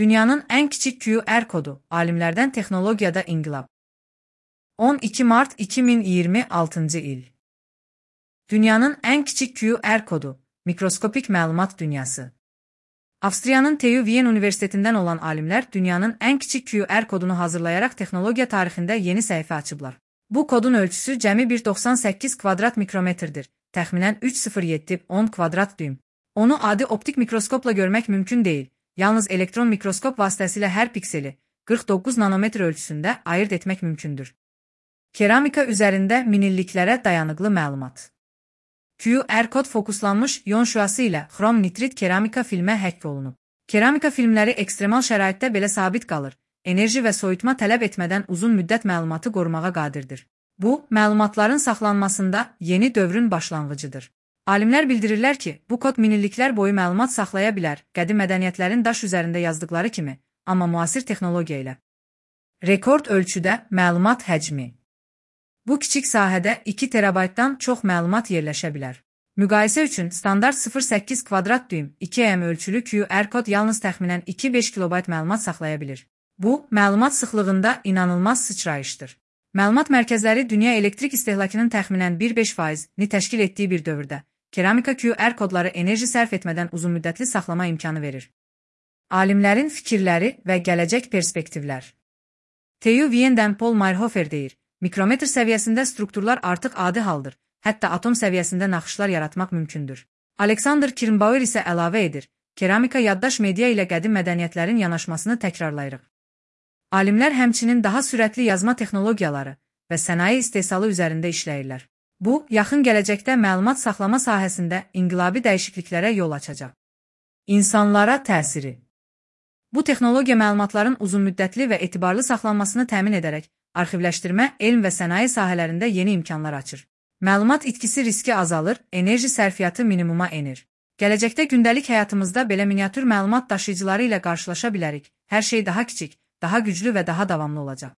Dünyanın ən kiçik QR kodu, alimlərdən texnologiyada inqilab. 12 mart 2026 il. Dünyanın ən kiçik QR kodu, mikroskopik məlumat dünyası. Avstriyanın TÜ Wien Universitetindən olan alimlər dünyanın ən kiçik QR kodunu hazırlayaraq texnologiya tarixində yeni səhifə açıblar. Bu kodun ölçüsü cəmi 1,98 kvadrat mikrometrdir, təxminən 3,07-10 kvadrat düym. Onu adi optik mikroskopla görmək mümkün deyil, yalnız elektron mikroskop vasitəsilə hər pikseli 49 nanometr ölçüsündə ayırt etmək mümkündür. Keramika üzərində minilliklərə dayanıqlı məlumat. QR kod fokuslanmış ion şüası ilə xrom nitrit keramika filmə həkk olunub. Keramika filmləri ekstremal şəraitdə belə sabit qalır, enerji və soyutma tələb etmədən uzun müddət məlumatı qorumağa qadirdir. Bu, məlumatların saxlanmasında yeni dövrün başlanğıcıdır. Alimlər bildirirlər ki, bu kod minilliklər boyu məlumat saxlaya bilər, qədim mədəniyyətlərin daş üzərində yazdıqları kimi, amma müasir texnologiya ilə. Rekord ölçüdə məlumat həcmi. Bu kiçik sahədə 2 terabaytdan çox məlumat yerləşə bilər. Müqayisə üçün standart 0,8 kvadrat düym 2M ölçülü QR kod yalnız təxminən 2,5 kilobayt məlumat saxlaya bilir. Bu, məlumat sıxlığında inanılmaz sıçrayışdır. Məlumat mərkəzləri dünya elektrik istehlakının təxminən 1,5%-ni təşkil etdiyi bir dövrdə, keramika QR kodları enerji sərf etmədən uzunmüddətli saxlama imkanı verir. Alimlərin fikirləri və gələcək perspektivlər. TÜ Wien-dən Paul Meyerhofer deyir, mikrometr səviyyəsində strukturlar artıq adi haldır, hətta atom səviyyəsində naxışlar yaratmaq mümkündür. Alexander Kirnbauer isə əlavə edir, keramika yaddaş media ilə qədim mədəniyyətlərin yanaşmasını təkrarlayırıq. Alimlər həmçinin daha sürətli yazma texnologiyaları və sənaye istehsalı üzərində işləyirlər. Bu, yaxın gələcəkdə məlumat saxlama sahəsində inqilabi dəyişikliklərə yol açacaq. İnsanlara təsiri. Bu texnologiya məlumatların uzunmüddətli və etibarlı saxlanmasını təmin edərək, arxivləşdirmə, elm və sənaye sahələrində yeni imkanlar açır. Məlumat itkisi riski azalır, enerji sərfiyyatı minimuma enir. Gələcəkdə gündəlik həyatımızda belə miniatür məlumat daşıyıcıları ilə qarşılaşa bilərik. Hər şey daha kiçik, daha güclü və daha davamlı olacaq.